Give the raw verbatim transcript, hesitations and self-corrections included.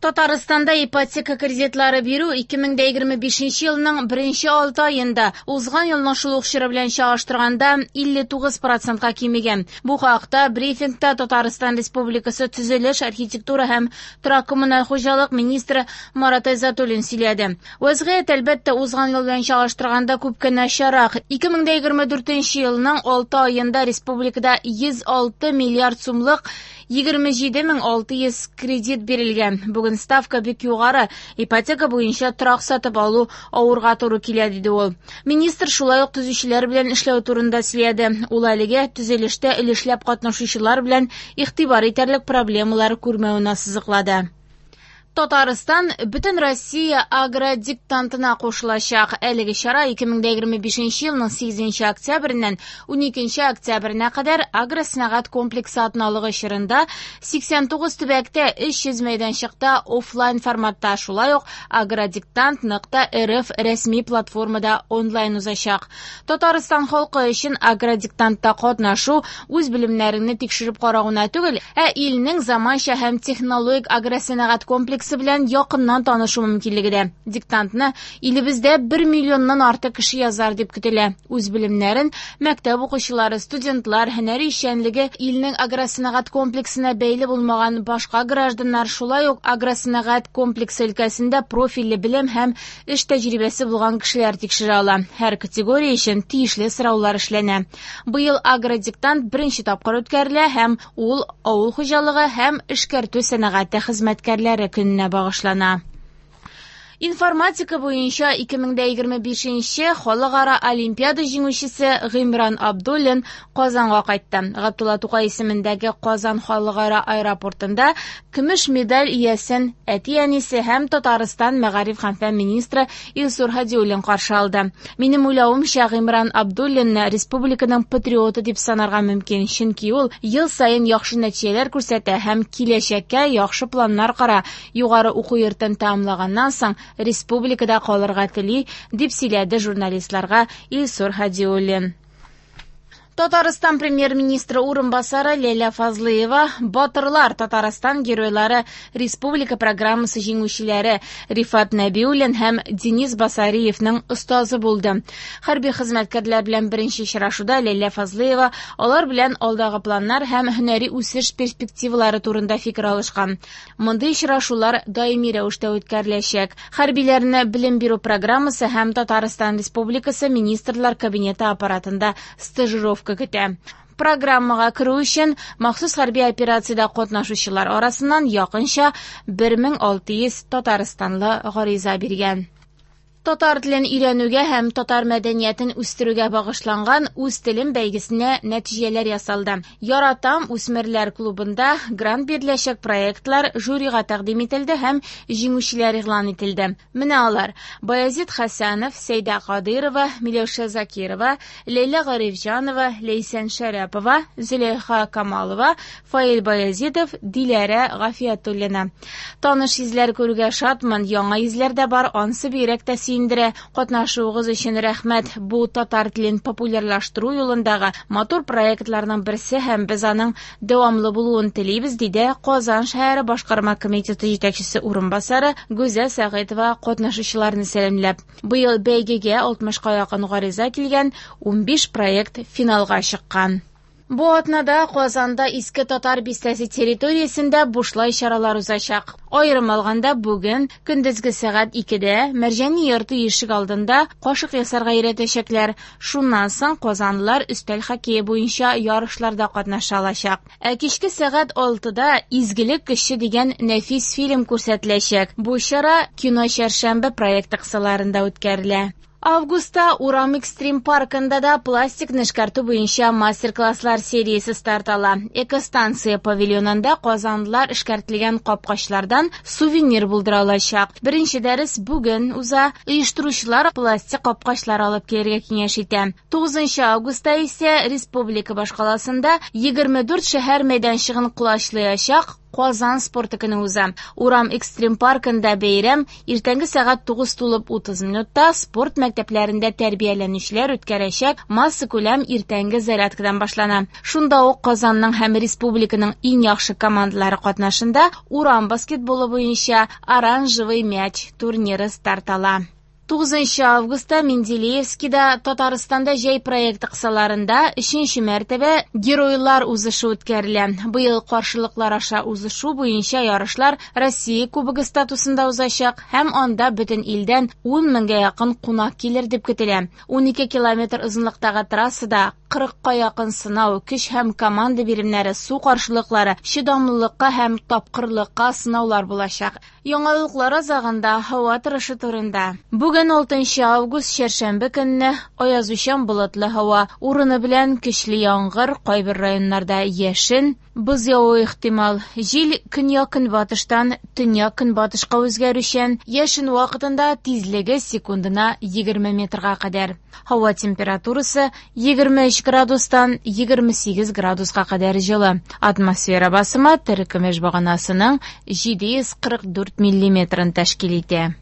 Татарстанда ипотека кредитлары бирү ике мең дә егерме бишенче елның беренче алты аенда узган елның шул ук чоры белән чагыштырганда илле тугыз процентка кимегән. Бу хакта брифингта Татарстан Республикасы төзелеш, архитектура һәм торак-коммуналь хуҗалык министры Марат Айзатуллин сөйләде. Вәзгыять, әлбәттә, узган ел белән чагыштырганда күпкә начаррак. Ике мең дә егерме дүртенче елның алты аенда республикада йөз алты миллиард сумлык егерме җиде мең алты йөз кредит бирелгән. Бүген ставка бик югары, ипотека буенча торак сатып алу авырга туры килә, диде ул. Министр шулай ук төзүчеләр белән эшләү турында сөйләде. Ул әлегә төзелештә өлешләп катнашучылар белән игътибар итәрлек проблемалар күрмәвен ассызыклады. Татарстан бөтен Россия агродиктантына кушылачак. Әлеге чара ике мең дә егерме бишенче елның сигезенче октябреннән уникенче октябренә кадәр агросәнәгать комплексы атналыгы чорында сиксән тугыз төбәктә өч йөз мәйданчыкта офлайн форматта, шулай ук агродиктант нокта рф рәсми платформада онлайн узачак. Татарстан халкы өчен агродиктантта катнашу үз белемнәреңне тикшереп карау гына түгел, ә илнең заманча һәм технологик агросәнәгать комплексы белән якыннан танышу мөмкинлеге дә. Диктантны илебездә бер миллионнан артык кеше язар дип көтелә. Үз белемнәрен мәктәп укучылары, студентлар, һөнәри эшчәнлеге илнең агросәнәгать комплексына бәйле булмаган башка гражданнар, шулай ук агросәнәгать комплексы өлкәсендә профильле белем һәм эш тәҗрибәсе булган кешеләр тикшерә ала. Һәр категория өчен тиешле сораулар эшләнә. Быел агродиктант беренче тапкыр үткәрелә һәм ул авыл хуҗалыгы һәм эшкәртү сәнәгате хезмәткәрләре көненә багышлана. Информатика буенча ике мең дә егерме бишенче халыкара олимпиада җиңүчесе Гыймран Абдуллин Казанга кайтты. Габдулла Тукай исемендәге Казан халыкара аэропортында көмеш медаль иясен әти-әнисе һәм Татарстан мәгариф һәм фән министры Илсур Һадиуллин каршы алды. Минем уйлавымча, Гыймран Абдуллинны республиканың патриоты дип санарга мөмкин, чөнки ул ел саен яхшы нәтиҗәләр күрсәтә һәм киләчәккә яхшы планнар кора. Югары уку йортын тәмамлаганнан соң республикада калырга тели, дип сөйләде журналистларга Илсур Һадиуллин. Татарстан премьер-министры урынбасары Ләйлә Фазлыева Батырлар Татарстан геройлары республика программасы җиңүчеләре Рифат Нәбиуллин һәм Денис Басариевның остазы булды. Хәрби хезмәткәрләр белән беренче очрашуда Ләйлә Фазлыева алар белән алдагы планнар һәм һөнәри үсеш перспективалары турында фикер алышкан. Мондый очрашулар даими рәвештә үткәреләчәк. Хәрбиләрне белем бирү программасы һәм Татарстан Республикасы Министрлар Кабинеты аппаратында стажировка көтә. Программага керү өчен махсус хәрби операциядә катнашучылар арасыннан якынча бер мең алты йөз татарстанлы гариза биргән. Татар телен өйрәнүгә һәм татар мәдәниятен үстерүгә багышланган Үз телем бәйгесенә нәтиҗәләр ясалды. Яратам үсмерләр клубында грант биреләчәк проектлар жюрига тәкъдим ителде һәм җиңүчеләр игълан ителде. Менә алар: Баязит Хәсәнов, Сәйдә Кадырова, Миләүшә Закирова, Ләйлә Гарифҗанова, Ләйсән Шәрәпова, Зөләйха Камалова, Фаил Баязитов, Диләрә Гафиятуллина. Таныш йөзләр күрүгә шатмын, яңа йөзләр дә бар, ансы бигрәк тә сөендерә. Катнашуыгыз өчен рәхмәт. Бу татар телен популярлаштыру юлындагы матур проектларның берсе һәм без аның дәвамлы булуын телибез, диде Казан шәһәре башкарма комитеты җитәкчесе урынбасары Гүзәл Сәгыйтова катнашучыларны сәламләп. Быел бәйгегә алтмышка якын гариза килгән, унбиш проект финалга чыккан. Бу атнада Казанда Иске Татар бистәсе территориясендә бушлай чаралар узачак. Аерым алганда бүген көндезге сәгать икедә Мәрҗани йорты ишек алдында кашык ясарга өйрәтәчәкләр. Шуннан соң казанлылар өстәл хоккее буенча ярышларда катнаша алачак. Ә кичке сәгать алтыда Изгелек көче дигән нәфис фильм күрсәтеләчәк. Бу чара Кино чәршәмбе проекты кысаларында үткәрелә. Августта Урам экстрим паркында да пластик эшкәртү буенча мастер-класслар сериясе старт ала. Экостанция павильонында казанлылар эшкәртелгән капкачлардан сувенир булдыра алачак. Беренче дәрес бүген уза. Оештыручылар пластик капкачлар алып килергә киңәш итә. Тугызынчы августта исә республика башкаласында егерме дүрт шәһәр мәйданчыгын колачлаячак Казан спорты көне уза. Урам экстрим паркында бәйрәм иртәнге сәгать тугыз тулып утыз минутта спорт мәктәпләрендә тәрбияләнүчеләр үткәрәчәк массакүләм иртәнге зарядкадан башлана. Шунда ук Казанның һәм республиканың иң яхшы командалары катнашында урам баскетболы буенча «Оранжевый мяч» турниры старт ала. Тугызынчы августта Менделеевскида Татарстанда җәй проекты кысаларында өченче мәртәбә геройлар узышы үткәрелә. Быел каршылыклар аша узышу буенча ярышлар Россия Кубогы статусында узачак һәм анда бөтен илдән ун меңгә якын кунак килер дип көтелә. Ун ике километр озынлыктагы трассада кырыкка якын сынау, көч һәм команда биремнәре, су каршылыклары, чыдамлылыкка һәм тапкырлыкка сынаулар булачак. Яңалыклар азагында һава торышы турында. Бүген алтынчы август чәршәмбе көнне аязучан болытлы һава, урыны белән көчле яңгыр, кайбер районнарда яшен, боз явуы ихтимал. Җил көньяк-көнбатыштан төньяк-көнбатышка үзгәрүчән, яшен вакытында тизлеге секундына егерме метрга кадәр. Һава температурасы егерме өч градустан егерме сигез градуска кадәр җылы. Атмосфера басымы терекөмеш баганасының җиде йөз кырык дүрт миллиметрын тәшкил итә.